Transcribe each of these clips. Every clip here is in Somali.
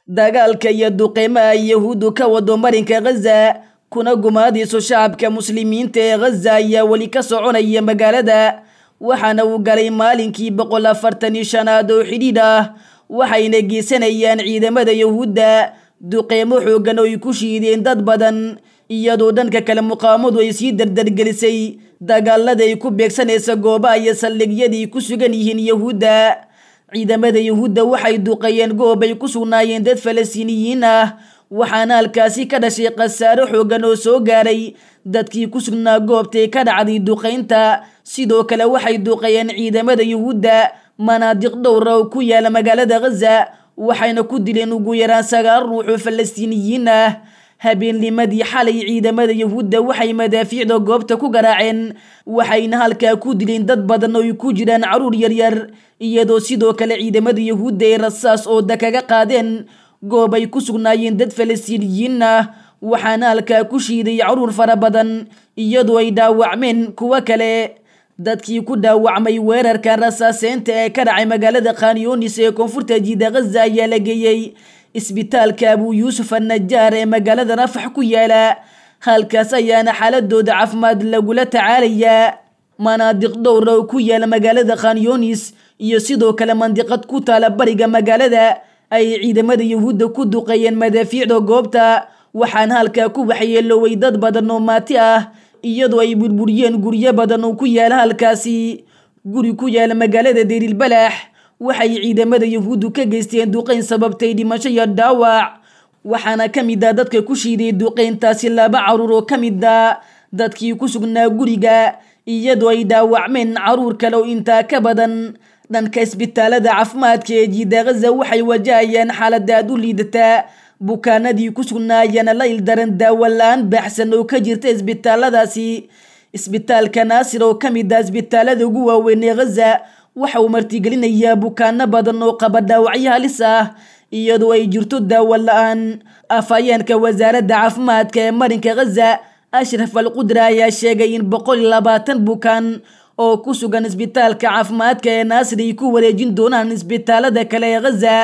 Dagaalka iyo duqeymaha Yahuuddu ka wado marinka Ghaza kuna gumaadayso shacabka muslimiinta ee Ghaza ayaa weli ka soconaya magaalada, waxaana uu galay maalinkii 145aad oo xidhiidh ah. Waxayna geysanayaan ciidamada Yahuudda duqeymo xooggan oo ay ku shiideen dad badan, iyadoo dhanka kale muqaawamadu ay sii dardargelisay dagaalada ay ku beegsanaysa goobaha iyo saldhigyadii ku sugan yihiin Yahuudda. Ciidamada Yahuudda waxay duqeeyeen goob ay ku sugnaayeen dad Falastiiniyiin ah, waxaana halkaasi ka dhashay khasaaro xooggan oo soo gaaray dadkii ku sugnaa goobtay ka dhacday duqeynta. Sidoo kale waxay duqeeyeen ciidamada Yahuudda manaadiq dhowra oo ku yaala magaalada Ghaza, waxayna ku dileen ugu yaraan 9 ruux oo Falastiiniyiin ah. Habeennimadii xalay ciidamada Yahuudda waxay madaafiicda goobta ku garaaceen, waxayna halkaa ku dileen dad badan oo ay ku jiraan carruur yaryar, iyadoo sidoo kale ciidamada Yahuudda ay rasaas ooda kaga qaadeen goob ay ku sugnaayeen dad Falastiiniyiin ah, waxaana halkaa ku shiiday carruur fara badan, iyadoo ay dhaawacmeen kuwo kale. Dadkii ku dhaawacmay weerarka rasaaseynta ee ka dhacay magaalada Khan Yunis ee koonfurta jiida Ghaza ayaa la geeyey isbitaalka Abu Yuusuf an-Najaar ee magaalada Rafax ku yaala, halkaas ayaana xaaladooda caafimaad lagula tacaalayaa. Manaadiq dhowra oo ku yaala magaalada Khan Yunis iyo sidoo kale mandiqad ku taala bariga magaalada ay ciidamada Yahuudda ku duqeeyeen madaafiicda goobta, waxaana halkaa ku waxyeelooway dad badan oo maati ah, iyadoo ay burburiyeen guryo badan oo ku yaala halkaasi. Guri ku yaala magaalada Deyril-Balax waxay ciidamada Yahuuddu ka geysteen duqeyn sababtay dhimasho iyo dhaawac, waxaana ka mid ah dadka ku shiiday duqeyntaasi 2 carruur oo ka mid ah dadkii ku sugnaa guriga, iyadoo ay dhaawacmeen carruur kale oo intaa ka badan. Dhanka isbitaalada caafimaadka ee jiida Ghaza waxay wajahayaan xaalad aad u liidata, bukaanadii ku sugnaa ayaana la ildaran daawo la-aan baaxsan oo ka jirta isbitaaladaasi. Isbitaalka Naasir oo ka mid ah isbitaalada ugu waaweyn ee Ghaza waxa uu martigelinayaa bukaano badan oo qaba dhaawacyo halis ah, iyadoo ay jirto daawo la-aan. Afhayeenka wasaaradda caafimaadka ee marinka Ghaza Ashraf Al-Qudra ayaa sheegay in 120 bukaan oo ku sugan isbitaalka caafimaadka ee Naasir ay ku wareejin doonaan isbitaalada kale ee Ghaza.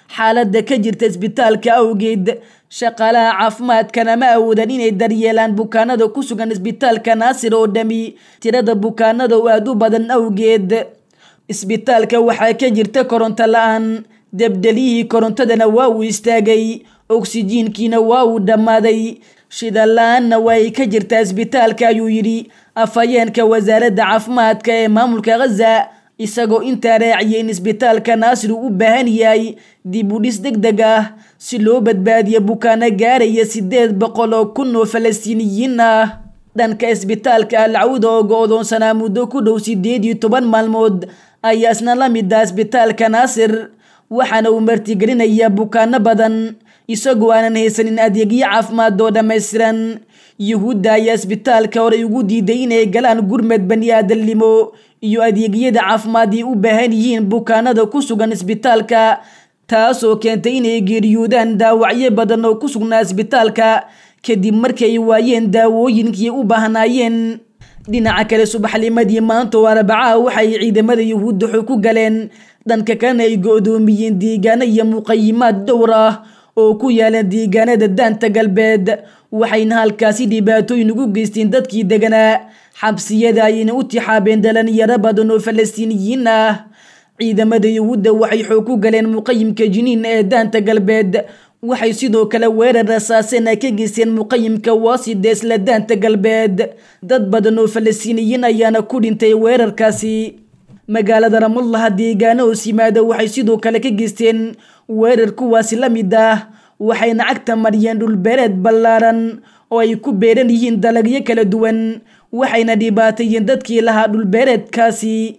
Xaaladda ka jirta isbitaalka awgeed, shaqaalaha caafimaadkana ma awoodan inay daryeelaan bukaanada ku sugan isbitaalka Naasir oo dhami tirada bukaanada oo aad u badan awgeed. Isbitaalka waxaa ka jirta koronto la-aan, debdeliyihii korontadana waa uu istaagay, oksijiinkiina waa uu dhammaaday, shidaal la-aanna waa ay ka jirtaa isbitaalka, ayuu yidhi afhayeenka wasaaradda caafimaadka ee maamulka Ghaza, isagoo intaa raaciyay in isbitaalka Naasir uu u baahan yahay dib u dhis degdeg ah si loo badbaadiyo bukaano gaaraya 800,000 oo Falastiiniyiin ah. Dhanka isbitaalka Al-Cawda oo go'doonsanaa muddo ku dhow 18 maalmood ayaa isna la mid ah isbitaalka Naasir, waxaana uu martigelinayaa bukaano badan isagoo aanan haysanin adeegyo caafimaad oo dhammaystiran. Yuhuudda ayaa isbitaalka horey ugu diiday inay galaan gurmad bani-aadamnimo iyo adeegyada caafimaad ay u baahan yihiin bukaanada ku sugan isbitaalka, taasoo keentay inay geeriyoodaan dhaawacyo badan oo ku sugnaa isbitaalka kadib markii ay waayeen daawooyinkii u baahnaayeen. Dhinaca kale, subaxnimadii maanta oo Arbacaha waxay ciidamada Yahuudda xog ku galeen dhanka kalena ay go'doomiyeen deegaano iyo muqayimaad dhowr ah oo ku yaala deegaanada Daanta Galbeed, waxayna halkaasi dhibaatooyin ugu geysteen dadkii deganaa. Xabsiyada ayayna u tixaabeen dhalinyaro badan oo Falastiiniyiin ah. Ciidamada Yahuudda waxay xoog ku galeen muqayimka Jiniin ee Daanta Galbeed, waxay sidoo kale weerar rasaaseen ay ka geysteen muqayimka Waasida isla Daanta Galbeed. Dad badan oo Falastiiniyiin ayaana ku dhintay weerarkaasi. Magaalada Ramallah deegaano hoos yimaada waxay sidoo kale ka geysteen weerar kuwaasi la mid ah, waxayna cagta mariyeen dhulbeereed ballaaran oo ay ku beeran yihiin dalagyo kala duwan, waxayna dhibaateeyeen dadkii lahaa dhulbeereedkaasi.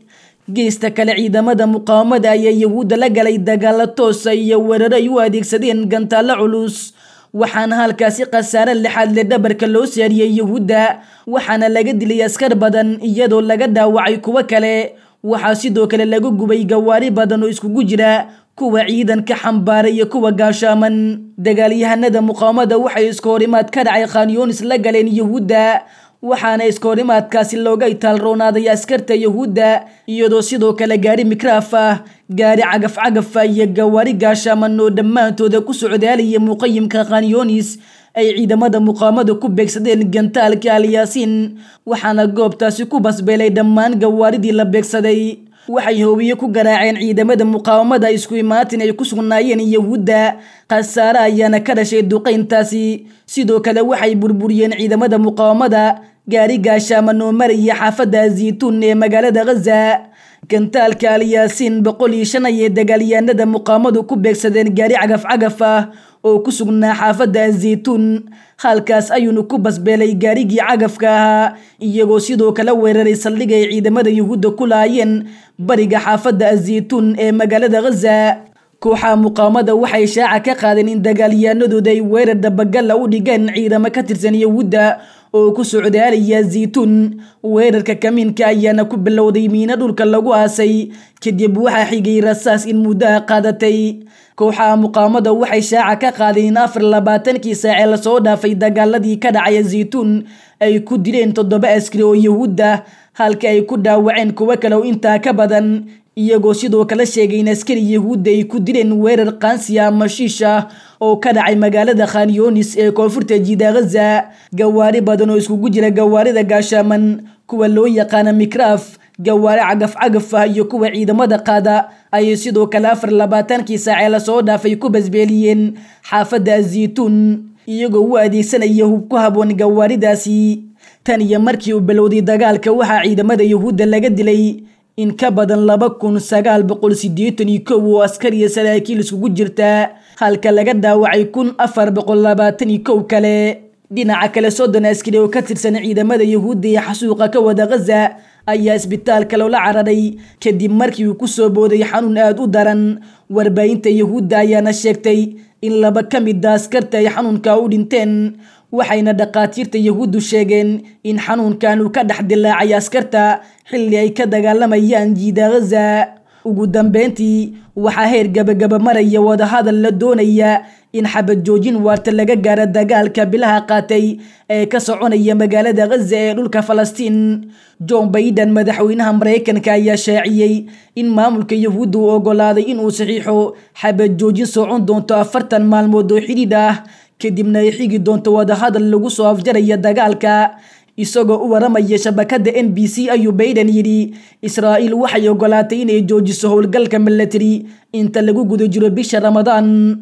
Geesta kale, ciidamada muqaawamada ayaa Yahuudda la galay dagaalo toosa iyo weeraro ay u adeegsadeen gantaallo culus, waxaana halkaasi khasaare lixaad le dhabarka loo saariyey Yahuudda, waxaana laga dilay askar badan iyadoo laga dhaawacay kuwo kale. Waxaa sidoo kale lagu gubay gawaari badan oo iskugu jira kuwa ciidanka xambaaray iyo kuwa gaashaaman. Dagaalyahanada muqaawamada waxay isku horimaad ka dhacay Khan Yunis la galeen Yahuudda, Waxaana iskoorimaadkaasi looga itaalroonaaday askarta Yahuudda, iyadoo sidoo kale gaari mikraaf ah, gaari cagaf-cagafa iyo gawaari gaashaaman oo dhammaantooda ku socdaalaya muqayimka Khanyonis ay ciidamada muqaawamada ku beegsadeen gantaalka Alyaasiin. Waxaana goobtaasi ku basbeelay dhammaan gawaaridii la beegsaday. Waxay hoobiye ku garaaceen ciidamada muqaawamada isku imaatin ay ku sugnaayeen Yahuudda, khasaare ayaana ka dhashay duqeyntaasi. Sidoo kale waxay burburiyeen ciidamada muqaawamada gaari gaashaaman oo maraya xaafadda Zaytuun ee magaalada Ghaza. Gantaalka Alyaasiin 105 ayay dagaalyahanada muqaawamadu ku beegsadeen gaari cagaf-cagaf ah oo ku sugnaa xaafadda Zaytuun, halkaas ayuuna ku basbeelay gaarigii cagafka ahaa, iyagoo sidoo kale weeraray saldhig ay ciidamada Yahuudda ku laayeen bariga xaafadda Zaytuun ee magaalada Ghaza. Kooxaha muqaawamada waxay shaaca ka qaadeen in dagaalyahanadooda ay weerar dabagala u dhigeen ciidamo ka tirsan Yahuudda oo ku socdaalaya Zaytuun. Weerarka kamiinka ayaana ku bilowday miino dhulka lagu aasay, kadib waxaa xigay rasaas in muddo ah qaadatay. Kooxaha muqaawamada waxay shaaca ka qaadeen in 24kii saac ee lasoo dhaafay dagaaladii ka dhacaya Zaytuun ay ku dileen 7 askari oo Yahuud ah, halka ay ku dhaawaceen kuwo kale oo intaa ka badan, iyagoo sidoo kale sheegay in askari Yahuudda ay ku dileen weerar qaansi ah ama shiish ah oo ka dhacay magaalada Khanyonis ee koonfurta jiida Ghaza. Gawaari badan oo iskugu jira gawaarida gaashaaman, kuwa loo yaqaana mikraaf, gawaari cagaf-cagaf ah iyo kuwa ciidamada qaada ayay sidoo kale 24kii saac ee lasoo dhaafay ku basbeeliyeen xaafadda Zaytuun, iyagoo u adeegsanaya hub ku haboon gawaaridaasi. Tan iyo markii uu bilowday dagaalka, waxaa ciidamada Yahuudda laga dilay in ka badan 2981 oo askar iyo saraakiil iskugu jirta, halka laga dhaawacay 1421 kale. Dhinaca kale, 30 askari oo ka tirsan ciidamada Yahuudda ee xasuuqa ka wada Ghaza ayaa isbitaalka loola cararay kadib markii uu ku soo booday xanuun aad u daran. Warbaahinta Yahuudda ayaana sheegtay in 2 ka mid ah askarta ay xanuunka u dhinteen, waxayna dhaqaatiirta Yahuuddu sheegeen in xanuunkan uu ka dhex dilaacay askarta xilli ay ka dagaalamayaan jiida Ghaza. Ugu dambeyntii, waxaa heer gabagaba maraya wadahadal la doonaya in xabad joojin waarta laga gaaro dagaalka bilaha qaatay ee ka soconaya magaalada Ghaza ee dhulka Falastiin. John Biden, madaxweynaha Mareykanka, ayaa shaaciyey in maamulka Yahuudda uu oggolaaday in uu saxiixo xabad joojin socon doonto 40 maalmood oo xidhiidh ah, kadibna ay xigi doonto wadahadal lagu soo afjaraya dagaalka. Isagoo u waramaya shabakadda NBC ayuu Biden yidhi, Israa'iil waxay oggolaatay inay joojiso howlgalka milatari inta lagu guda jiro bisha Ramadaan.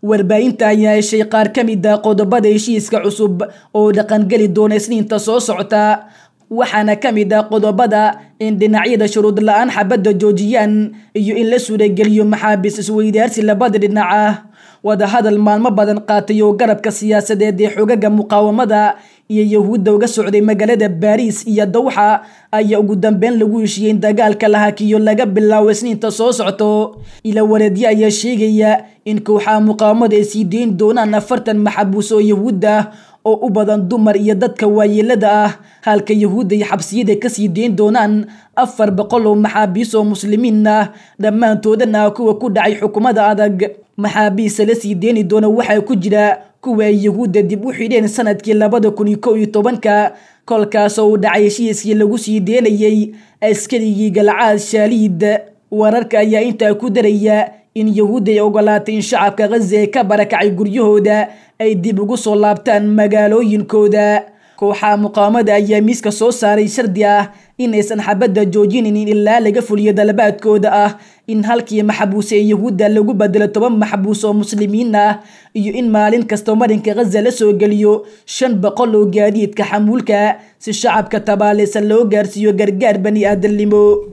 Warbaahinta ayaa heshay qaar ka mid ah qodobada heshiiska cusub oo dhaqangeli doona Isniinta soo socota, waxaana ka mid ah qodobada in dhinacyada shuruud la-aan xabadda joojiyaan iyo in la suurageliyo maxaabiis isweydaarsi labada dhinac ah. Wadahadal maalmo badan qaatay oo garabka siyaasadeed ee xogaga muqaawamada iyo Yahuudda uga socday magaalada Baariis iyo Dawxa ayaa ugu dambeyn lagu heshiiyey in dagaalka la hakiyo laga bilaabo Isniinta soo socto. Ila wareedyo ayaa sheegaya in kooxaha muqaawamada ay sii deyn doonaan 40 maxbuus oo Yahuud ah oo u badan dumar iyo dadka waayeelada ah, halka Yahuudda ay xabsiyada ka sii deyn doonaan 400 oo maxaabiis oo muslimiin ah, dhammaantoodana kuwa ku dhacay xukuumada adag. Maxaabiista la sii deeni doona waxaa ku jira kuwa ay Yahuudda dib u xidheen sanadkii 2011, kolkaasoo uu dhacay heshiiskii lagu sii deenayay askarigii Galcaad Shaaliid. Wararka ayaa intaa ku daraya in Yahuudda ay oggolaatay in shacabka Ghaza ee ka barakacay guryahooda ay dib ugu soo laabtaan magaalooyinkooda. Kooxaha muqaawamada ayaa miiska soo saaray shardi ah inaysan xabadda joojinin ilaa laga fuliyo dalabaadkooda ah in halkii maxbuus ee Yahuudda lagu bedelo 10 maxbuus oo muslimiin ah, iyo in maalin kasta marinka Ghaza la soo geliyo 500 oo gaadiidka xamuulka si shacabka tabaaleysan loo gaarsiiyo gargaar bani aadamnimo.